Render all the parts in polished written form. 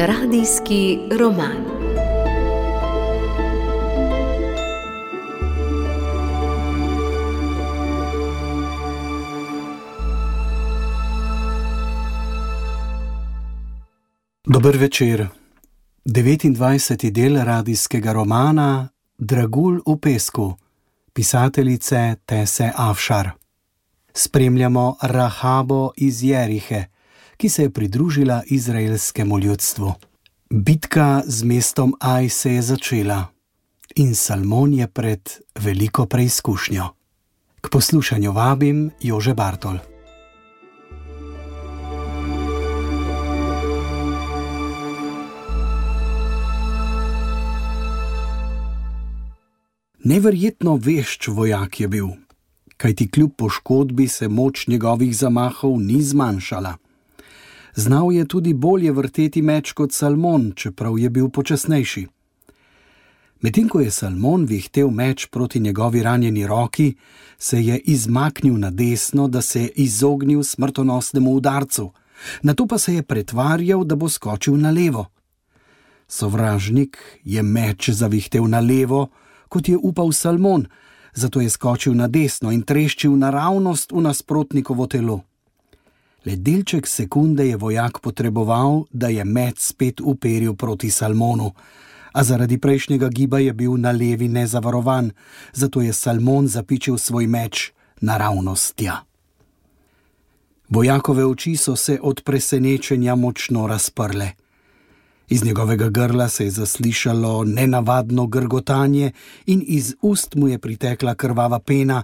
Radijski roman. Dober večer. 29. del radijskega romana Dragulj v pesku, pisateljice Tese Afšar. Spremljamo Rahabo iz Jerihe, ki se je pridružila izraelskemu ljudstvu. Bitka z mestom Aj se je začela in Salmon je pred veliko preizkušnjo. K poslušanju vabim Jože Bartol. Neverjetno vešč vojak je bil, kajti kljub poškodbi se moč njegovih zamahov ni zmanjšala. Znal je tudi bolje vrteti meč kot Salmon, čeprav je bil počasnejši. Medtem ko je Salmon vihtel meč proti njegovi ranjeni roki, se je izmaknil na desno, da se je izognil smrtonosnemu udarcu, nato pa se je pretvarjal, da bo skočil na levo. Sovražnik je meč zavihtel na levo, kot je upal Salmon, zato je skočil na desno in treščil naravnost v nasprotnikovo telo. Le delček sekunde je vojak potreboval, da je meč spet uperil proti Salmonu, a zaradi prejšnjega giba je bil na levi nezavarovan, zato je Salmon zapičil svoj meč naravnost tja. Vojakove oči so se od presenečenja močno razprle. Iz njegovega grla se je zaslišalo nenavadno grgotanje in iz ust mu je pritekla krvava pena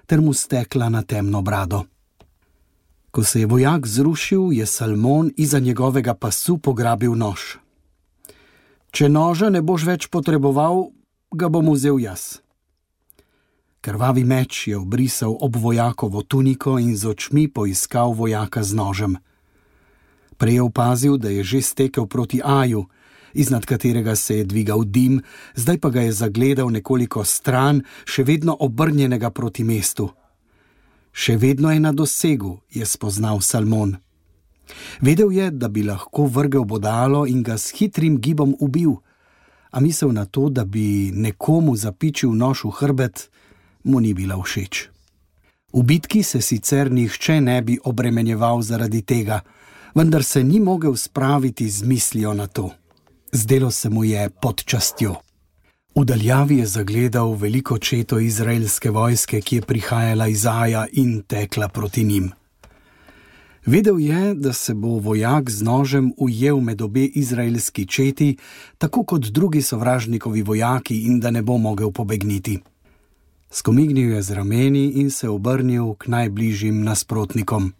ter mu stekla na temno brado. Ko se je vojak zrušil, je Salmon iza njegovega pasu pograbil nož. Če noža ne boš več potreboval, ga bom vzel jaz. Krvavi meč je obrisal ob vojakovo tuniko in z očmi poiskal vojaka z nožem. Prej je opazil, da je že stekel proti Aju, iznad katerega se je dvigal dim, zdaj pa ga je zagledal nekoliko stran, še vedno obrnjenega proti mestu. Še vedno je na dosegu, je spoznal Salmon. Vedel je, da bi lahko vrgel bodalo in ga s hitrim gibom ubil, a misel na to, da bi nekomu zapičil nož v hrbet, mu ni bila všeč. V bitki se sicer nihče ne bi obremenjeval zaradi tega, vendar se ni mogel spraviti z mislijo na to. Zdelo se mu je pod častjo. V daljavi je zagledal veliko četo izraelske vojske, ki je prihajala iz Aja in tekla proti njim. Vedel je, da se bo vojak z nožem ujel med obe izraelski četi, tako kot drugi sovražnikovi vojaki, in da ne bo mogel pobegniti. Skomignil je z rameni in se obrnil k najbližjim nasprotnikom.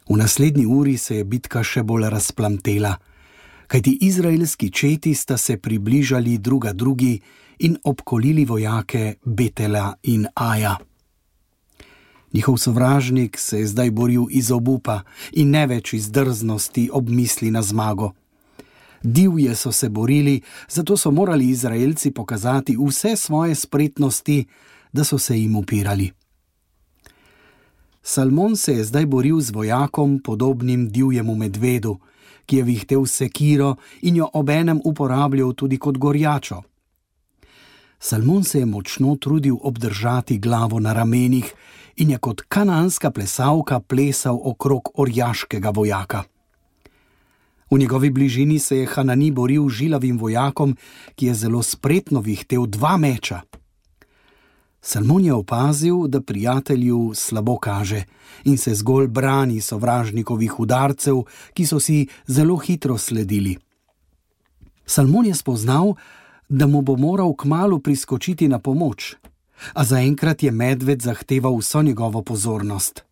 V naslednji uri se je bitka še bolj razplamtela, kajti izraelski četi sta se približali druga drugi in obkolili vojake Betela in Aja. Njihov sovražnik se je zdaj boril iz obupa in ne več iz drznosti ob misli na zmago. Divje so se borili, zato so morali Izraelci pokazati vse svoje spretnosti, da so se jim upirali. Salmon se je zdaj boril z vojakom, podobnim divjemu medvedu, ki je vihtel sekiro in jo obenem uporabljal tudi kot gorjačo. Salmon se je močno trudil obdržati glavo na ramenih in je kot kanaanska plesalka plesal okrog orjaškega vojaka. V njegovi bližini se je Hanani boril z žilavim vojakom, ki je zelo spretno vihtel 2 meča. Salmon je opazil, da prijatelju slabo kaže in se zgolj brani sovražnikovih udarcev, ki so si zelo hitro sledili. Salmon je spoznal, da mu bo moral kmalu priskočiti na pomoč, a zaenkrat je medved zahteval vso njegovo pozornost.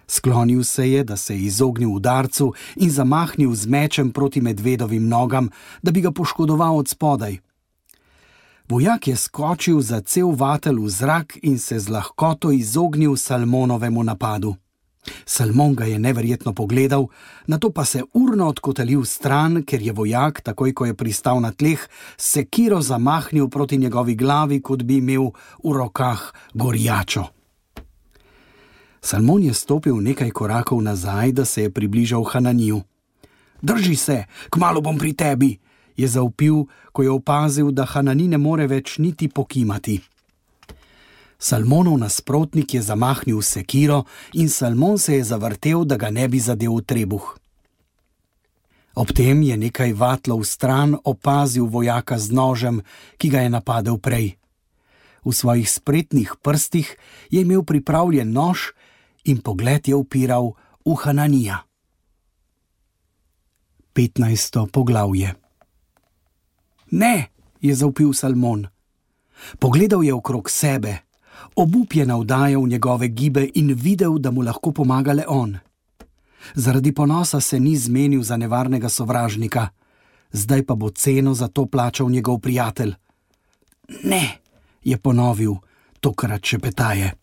Sklonil se je, da se je izognil udarcu in zamahnil z mečem proti medvedovim nogam, da bi ga poškodoval od spodaj. Vojak je skočil za cel vatel v zrak in se z lahkoto izognil Salmonovemu napadu. Salmon ga je neverjetno pogledal, nato pa se urno odkotalil stran, ker je vojak, takoj ko je pristal na tleh, sekiro zamahnil proti njegovi glavi, kot bi imel v rokah gorjačo. Salmon je stopil nekaj korakov nazaj, da se je približal Hananiju. Drži se, kmalu bom pri tebi, je zavpil, ko je opazil, da Hanani ne more več niti pokimati. Salmonov nasprotnik je zamahnil sekiro in Salmon se je zavrtel, da ga ne bi zadel v trebuh. Ob tem je nekaj vatlov stran opazil vojaka z nožem, ki ga je napadel prej. V svojih spretnih prstih je imel pripravljen nož in pogled je upiral v Hananija. 15. poglavje. Ne, je zavpil Salmon. Pogledal je okrog sebe, obup je navdajal njegove gibe in videl, da mu lahko pomaga le on. Zaradi ponosa se ni zmenil za nevarnega sovražnika, zdaj pa bo ceno za to plačal njegov prijatelj. Ne, je ponovil, tokrat šepetaje.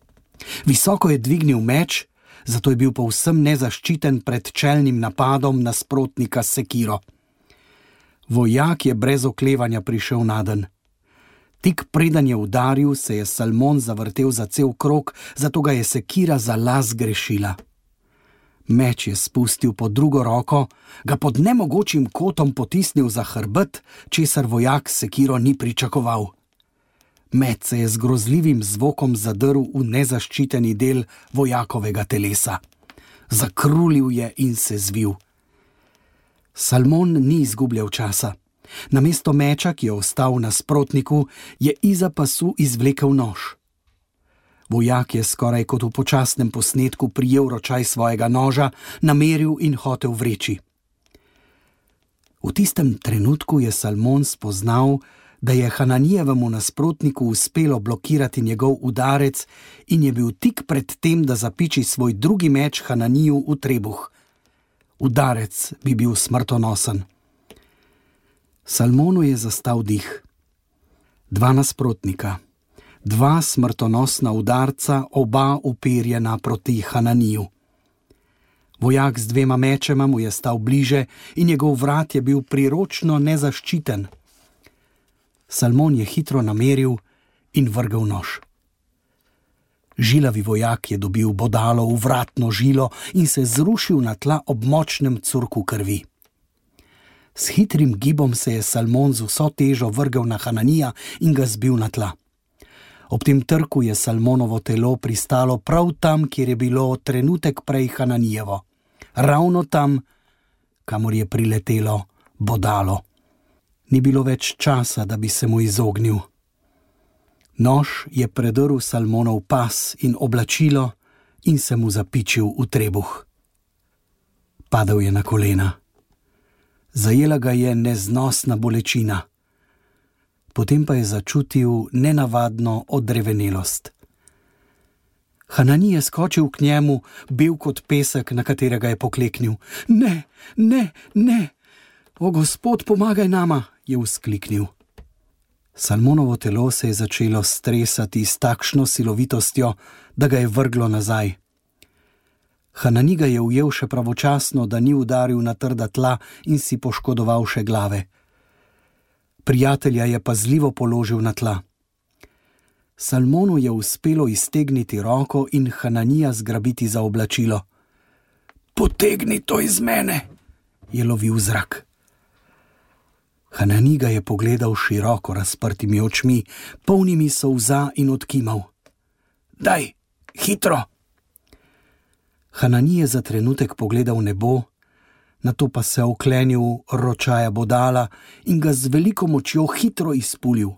Visoko je dvignil meč, zato je bil povsem nezaščiten pred čelnim napadom nasprotnika s sekiro. Vojak je brez oklevanja prišel nadenj. Tik preden je udaril, se je Salmon zavrtel za cel krog, zato ga je sekira za las grešila. Meč je spustil pod drugo roko, ga pod nemogočim kotom potisnil za hrbet, česar vojak s sekiro ni pričakoval. Meč se je z grozljivim zvokom zadrl v nezaščiteni del vojakovega telesa. Zakrulil je in se zvil. Salmon ni izgubljal časa. Namesto meča, ki je ostal nasprotniku, je izza pasu izvlekel nož. Vojak je skoraj kot v počasnem posnetku prijel ročaj svojega noža, nameril in hotel vreči. V tistem trenutku je Salmon spoznal, da je Hananijevemu nasprotniku uspelo blokirati njegov udarec in je bil tik pred tem, da zapiči svoj drugi meč Hananiju v trebuh. Udarec bi bil smrtonosen. Salmonu je zastal dih. Dva nasprotnika, dva smrtonosna udarca, oba uperjena proti Hananiju. Vojak z dvema mečema mu je stal bliže in njegov vrat je bil priročno nezaščiten. Salmon je hitro nameril in vrgel nož. Žilavi vojak je dobil bodalo v vratno žilo in se zrušil na tla ob močnem curku krvi. S hitrim gibom se je Salmon z vso težo vrgel na Hananija in ga zbil na tla. Ob tem trku je Salmonovo telo pristalo prav tam, kjer je bilo trenutek prej Hananijevo. Ravno tam, kamor je priletelo bodalo. Ni bilo več časa, da bi se mu izognil. Nož je predrl Salmonov pas in oblačilo in se mu zapičil v trebuh. Padel je na kolena. Zajela ga je neznosna bolečina. Potem pa je začutil nenavadno odrevenelost. Hanani je skočil k njemu, bel kot pesek, na katerega je pokleknil. Ne, ne, ne! O, Gospod, pomagaj nama, je vzkliknil. Salmonovo telo se je začelo stresati s takšno silovitostjo, da ga je vrglo nazaj. Hanani ga je ujel še pravočasno, da ni udaril na trda tla in si poškodoval še glave. Prijatelja je pazljivo položil na tla. Salmonu je uspelo iztegniti roko in Hananija zgrabiti za oblačilo. Potegni to iz mene, je lovil zrak. Hanani ga je pogledal široko razprtimi očmi, polnimi solza in odkimal. Daj, hitro! Hanani je za trenutek pogledal nebo, nato pa se oklenil ročaja bodala in ga z veliko močjo hitro izpulil.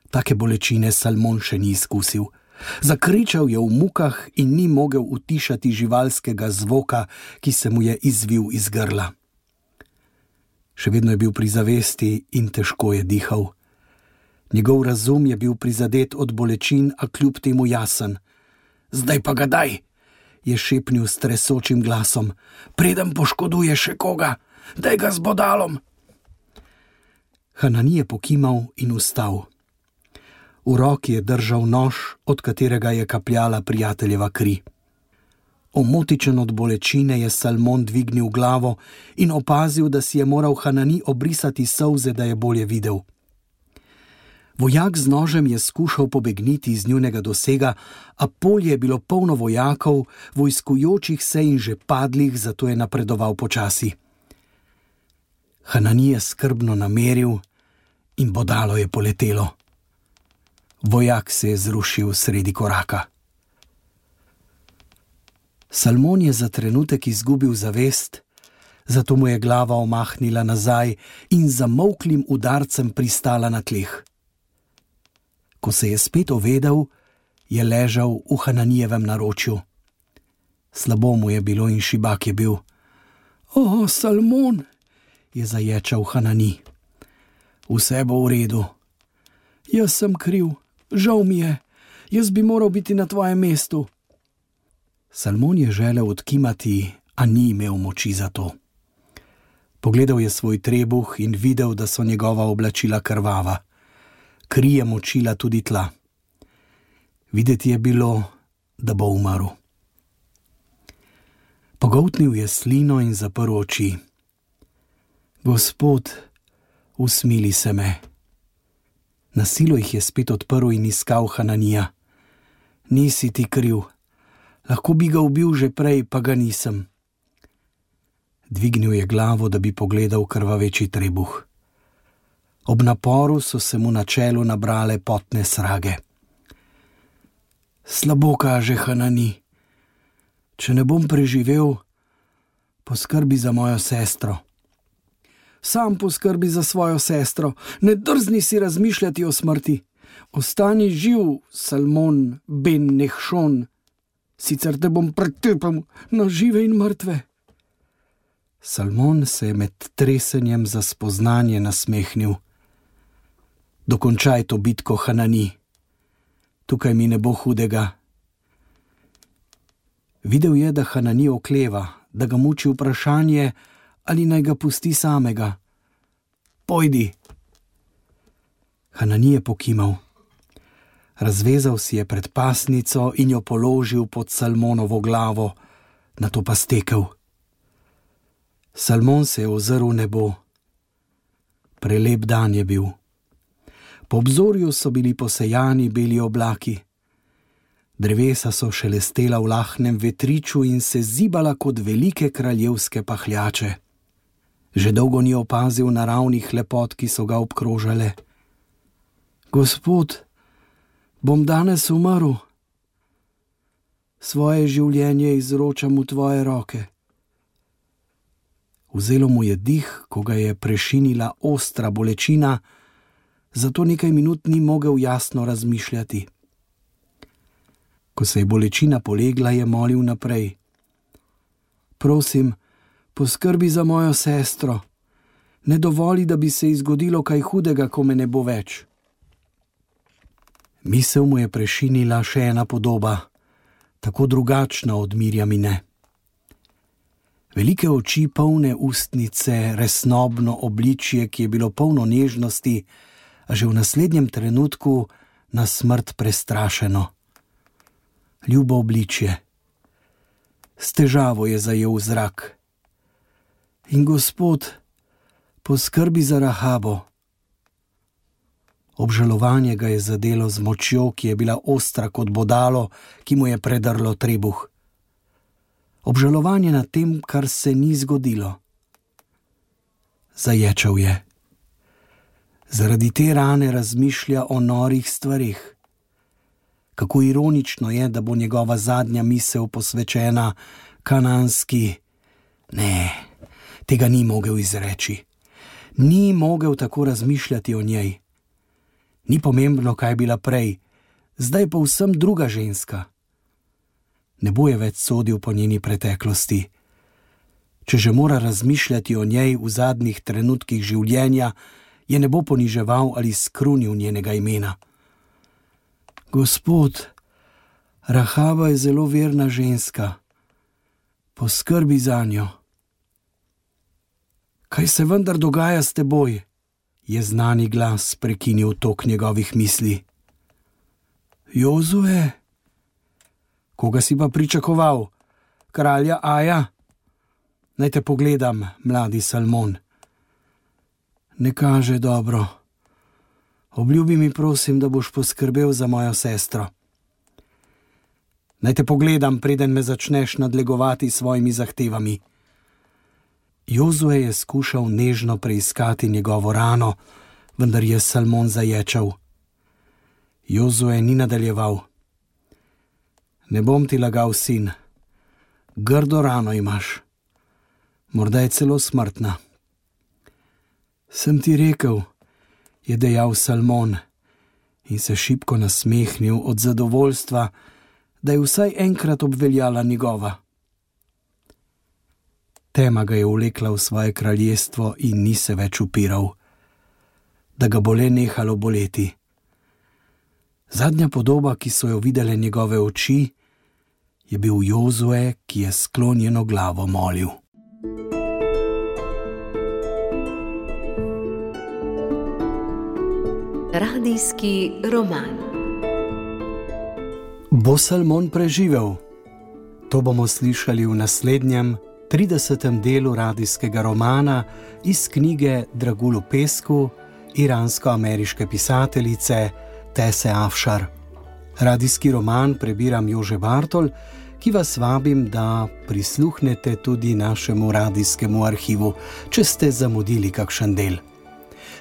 Take bolečine Salmon še ni izkusil. Zakričal je v mukah in ni mogel utišati živalskega zvoka, ki se mu je izvil iz grla. Še vedno je bil pri zavesti in težko je dihal. Njegov razum je bil prizadet od bolečin, a kljub temu jasen. Zdaj pa ga daj, je šepnil s tresočim glasom. Preden poškoduje še koga, daj ga z bodalom. Hanani je pokimal in vstal. V roki je držal nož, od katerega je kapljala prijateljeva kri. Omotičen od bolečine je Salmon dvignil glavo in opazil, da si je moral Hanani obrisati solze, da je bolje videl. Vojak z nožem je skušal pobegniti iz njunega dosega, a polje je bilo polno vojakov, vojskujočih se in že padlih, zato je napredoval počasi. Hanani je skrbno nameril in bodalo je poletelo. Vojak se je zrušil sredi koraka. Salmon je za trenutek izgubil zavest, zato mu je glava omahnila nazaj in z zamolklim udarcem pristala na tleh. Ko se je spet ovedel, je ležal v Hananijevem naročju. Slabo mu je bilo in šibak je bil. O, Salmon, je zaječal Hanani. Vse bo v redu. Jaz sem kriv, žal mi je, jaz bi moral biti na tvojem mestu. Salmon je želel odkimati, a ni imel moči za to. Pogledal je svoj trebuh in videl, da so njegova oblačila krvava. Kri je močila tudi tla. Videti je bilo, da bo umrl. Pogoltnil je slino in zaprl oči. Gospod, usmili se me. Na silo jih je spet odprl in iskal Hananija. Nisi ti kriv. Lahko bi ga ubil že prej, pa ga nisem. Dvignil je glavo, da bi pogledal krvaveči trebuh. Ob naporu so se mu na čelu nabrale potne srage. Slabo kaže, Hanani. Če ne bom preživel, poskrbi za mojo sestro. Sam poskrbi za svojo sestro, ne drzni si razmišljati o smrti. Ostani živ, Salmon ben Nehšon, sicer te bom pretepel na žive in mrtve. Salmon se je med tresenjem za spoznanje nasmehnil. Dokončaj to bitko, Hanani. Tukaj mi ne bo hudega. Videl je, da Hanani okleva, da ga muči vprašanje, ali naj ga pusti samega. Pojdi. Hanani je pokimal. Razvezal si je predpasnico in jo položil pod Salmonovo glavo, nato pa stekel. Salmon se je ozrl v nebo. Prelep dan je bil. Po obzorju so bili posejani beli oblaki. Drevesa so šelestela v lahnem vetriču in se zibala kot velike kraljevske pahljače. Že dolgo ni opazil naravnih lepot, ki so ga obkrožale. Gospod, bom danes umrl. Svoje življenje izročam v tvoje roke. Vzelo mu je dih, ko ga je prešinila ostra bolečina, zato nekaj minut ni mogel jasno razmišljati. Ko se je bolečina polegla, je molil naprej. Prosim, poskrbi za mojo sestro. Ne dovoli, da bi se ji zgodilo kaj hudega, ko me ne bo več. Misel mu je prešinila še ena podoba, tako drugačna od Mirjamine. Velike oči, polne ustnice, resnobno obličje, ki je bilo polno nežnosti, a že v naslednjem trenutku na smrt prestrašeno. Ljubo obličje. S težavo je zajel zrak. In Gospod, poskrbi za Rahabo. Obžalovanje ga je zadelo z močjo, ki je bila ostra kot bodalo, ki mu je predrlo trebuh. Obžalovanje nad tem, kar se ni zgodilo. Zaječal je. Zaradi te rane razmišlja o norih stvarih. Kako ironično je, da bo njegova zadnja misel posvečena kananski. Ne, tega ni mogel izreči. Ni mogel tako razmišljati o njej. Ni pomembno, kaj je bila prej, zdaj povsem druga ženska. Ne bo je več sodil po njeni preteklosti. Če že mora razmišljati o njej v zadnjih trenutkih življenja, je ne bo poniževal ali skrunil njenega imena. Gospod, Rahaba je zelo verna ženska. Poskrbi zanjo. Kaj se vendar dogaja s teboj? Je znani glas prekinil tok njegovih misli. Jozue? Koga si pa pričakoval? Kralja Aja? Naj te pogledam, mladi Salmon. Ne kaže dobro. Obljubi mi, prosim, da boš poskrbel za mojo sestro. Naj te pogledam, preden me začneš nadlegovati s svojimi zahtevami. Jozue je skušal nežno preiskati njegovo rano, vendar je Salmon zaječal. Jozue ni nadaljeval. Ne bom ti lagal, sin. Grdo rano imaš. Morda je celo smrtna. Sem ti rekel, je dejal Salmon in se šibko nasmehnil od zadovoljstva, da je vsaj enkrat obveljala njegova. Tema ga je vlekla v svoje kraljestvo in ni se več upiral, da ga bo le nehalo boleti. Zadnja podoba, ki so jo videle njegove oči, je bil Jozue, ki je sklonjeno glavo molil. Radijski roman. Bo Salmon preživel? To bomo slišali v naslednjem 30. delu radijskega romana iz knjige Dragulu Pesku iransko-ameriške pisateljice Tese Afšar. Radijski roman prebiram Jože Bartol, ki vas vabim, da prisluhnete tudi našemu radijskemu arhivu, če ste zamudili kakšen del.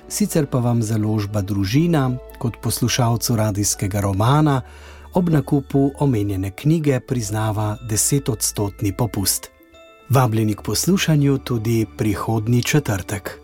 Sicer pa vam založba Družina kot poslušalcu radijskega romana ob nakupu omenjene knjige priznava 10% popust. Vabljeni k poslušanju tudi prihodnji četrtek.